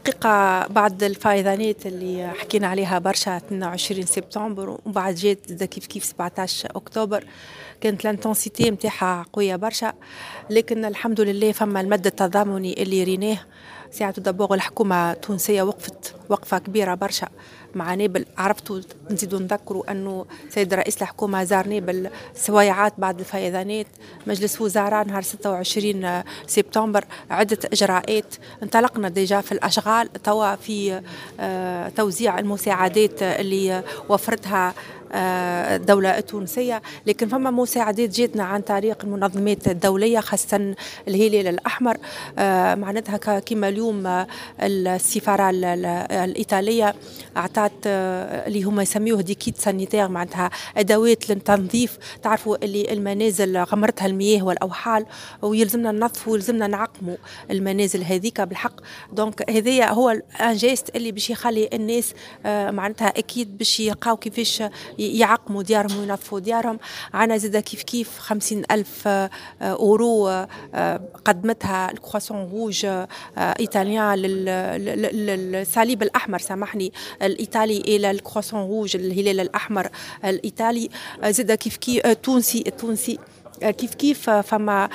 الحقيقة بعد الفيضانات اللي حكينا عليها برشا 22 سبتمبر وبعد جات كيف كيف 17 أكتوبر، كانت l'intensité نتاعها قوية برشا، لكن الحمد لله فما المد التضامني اللي ريناه ساعة. d'abord الحكومة التونسية وقفت وقفة كبيرة برشا مع نابل. عرفتوا، نزيدوا نذكروا أنه سيد رئيس الحكومة زار نابل سويعات بعد الفيضانات، مجلس وزراء نهار 26 سبتمبر، عدة إجراءات. انطلقنا déjà في الأشغال توا في توزيع المساعدات اللي وفرتها الدولة التونسية، لكن فما مساعدات جاتنا عن طريق المنظمات الدولية، خاصة الهلال الأحمر. معناتها كما اليوم السفارة الإيطالية أعطت اللي هما يسميوه des kits sanitaires، معناتها أدوات للتنظيف. تعرفوا اللي المنازل غمرتها المياه والأوحال، ويلزمنا ننظفوا ويلزمنا نعقموا المنازل هذيك بالحق. donc هذايا هو un geste اللي باش يخلي الناس معناتها أكيد باش يلقاو كيفاش يعقموا ديارهم وينظفوا ديارهم. عنا زاد كيف كيف 50,000 أورو قدمتها ال Croissant Rouge italien، للصليب الأحمر سامحني الإيطالي، إلى ال Croissant Rouge، الهلال الأحمر الإيطالي. زاد كيف كيف التونسي، التونسي كيف كيف فما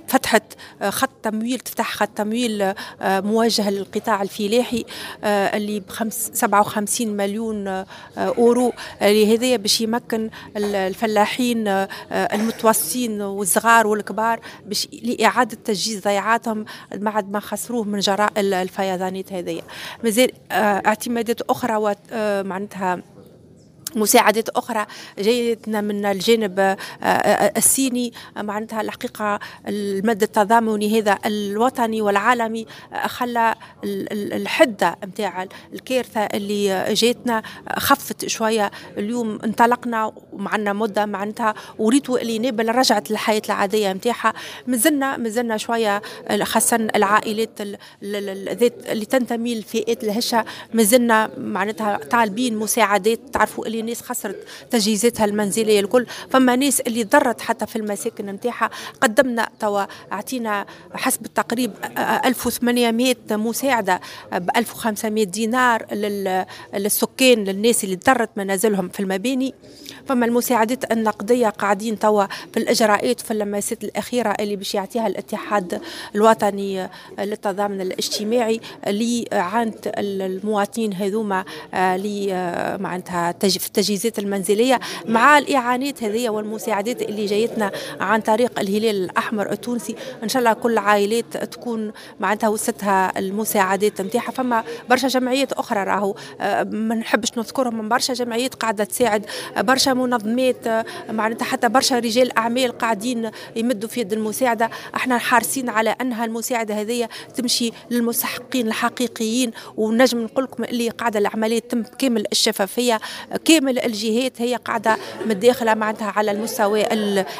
فتحت خط تمويل، تفتح خط تمويل موجه للقطاع الفلاحي اللي 57 مليون اورو، اللي هذايا باش يمكن الفلاحين المتوسطين والصغار والكبار باش لاعادة تجهيز ضيعاتهم بعد ما خسروه من جراء الفيضانات هذيا. مازال اعتمادات اخرى، معناتها مساعدات أخرى جايتنا من الجانب الصيني. معناتها الحقيقة المد التضامني هذا الوطني والعالمي خلى الحدة نتاع الكارثة اللي جاتنا خفت شوية. اليوم انطلقنا ومعنا مدة معناتها وريتوا اللي نابل رجعت للحياة العادية نتاعها. مازلنا شوية، خاصة العائلات ذات اللي تنتمي للفئات الهشة، مازلنا معناتها طالبين مساعدات. تعرفوا اللي ناس خسرت تجهيزاتها المنزلية الكل، فما ناس اللي ضرت حتى في المساكن نتاعها. قدمنا توا اعطينا حسب التقريب 1800 مساعدة ب 1500 دينار للسكان، للناس اللي ضرت منازلهم في المباني. فما المساعدات النقدية قاعدين توا في الإجراءات في اللمسات الأخيرة اللي باش يعطيها الاتحاد الوطني للتضامن الاجتماعي لإعانة المواطنين هذوما اللي معناتها في التجهيزات المنزلية، مع الإعانات هذه والمساعدات اللي جايتنا عن طريق الهلال الأحمر التونسي. إن شاء الله كل العائلات تكون معناتها وصلتها المساعدات نتاعها. فما برشا جمعيات أخرى راهو ما نحبش نذكرهم، من برشا جمعيات قاعدة تساعد، برشا منظمات، معناتها حتى برشا رجال أعمال قاعدين يمدوا في يد المساعدة. احنا حارسين على أنها المساعدة هذه تمشي للمستحقين الحقيقيين، ونجم نقول لكم اللي قاعدة العملية تم كامل الشفافية، كامل الجهات هي قاعدة متداخلة معناتها على المستوى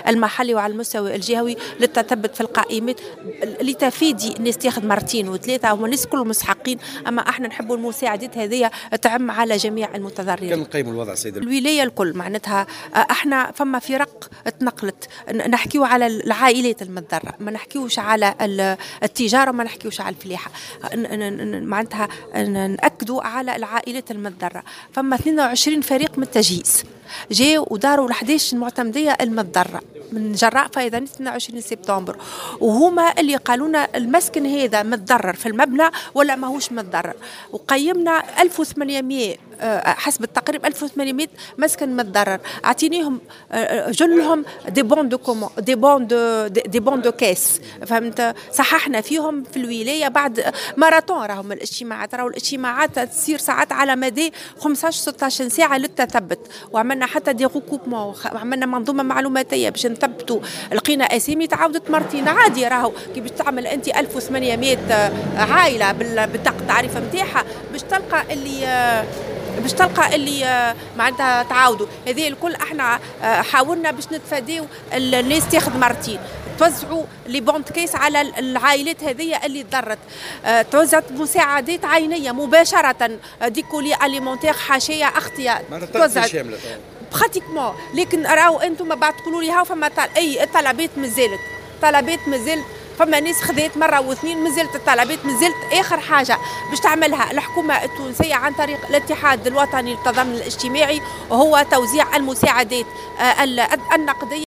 المحلي وعلى المستوى الجهوي للتثبت في القائمات لتفادي الناس تاخذ مرتين وثلاثة. هما الناس كلهم مستحقين، أما احنا نحبوا المساعدات هذه تعم على جميع المتضررين. كان نقيم الوضع سيد الولاية الكل، معناتها احنا فما فرق تنقلت. نحكيو على العائلات المتضررة، ما نحكيوش على التجارة، ما نحكيوش على الفلاحة، معناتها نأكدوا على العائلات المتضررة. فما 22 فريق من التجهيز جاوا وداروا ال 11 المعتمدية المتضررة من جراء فيضان 22 سبتمبر، وهما اللي قالونا المسكن هذا متضرر في المبنى ولا ماهوش متضرر. وقيمنا 1800 حسب التقريب 1800 مسكن متضرر، اعطينيهم جلهم des bons de commande، des bons de caisse، فهمت؟ صححنا فيهم في الولاية بعد ماراثون. راهم الاجتماعات، راهو الاجتماعات تصير ساعات على مدى 15 16 ساعة للتثبت، وعملنا حتى des recoupements، عملنا منظومة معلوماتيه باش نثبتوا. لقينا اسامي تعاودت مرتين، عادي راهو كي باش تعمل انت 1800 عائلة بالبطاقه التعريف نتاعها باش تلقى اللي معناتها تعاودوا. هذه الكل احنا حاولنا باش نتفاداو الناس تاخذ مرتين. توزعوا les bons de caisse على العائلات هذه اللي تضرت، توزعت مساعدات عينيه مباشره، des colis alimentaires، حاشيه، اغطيه، توزعت pratiquement. لكن راهو انتم بعد تقولوا لي هاو فما اي طلبات، مازالت طلبات، مازالت. فما ناس خذات مرة واثنين، مازالت الطلبات، مازالت اخر حاجة باش تعملها الحكومة التونسية عن طريق الاتحاد الوطني للتضامن الاجتماعي وهو توزيع المساعدات النقدية.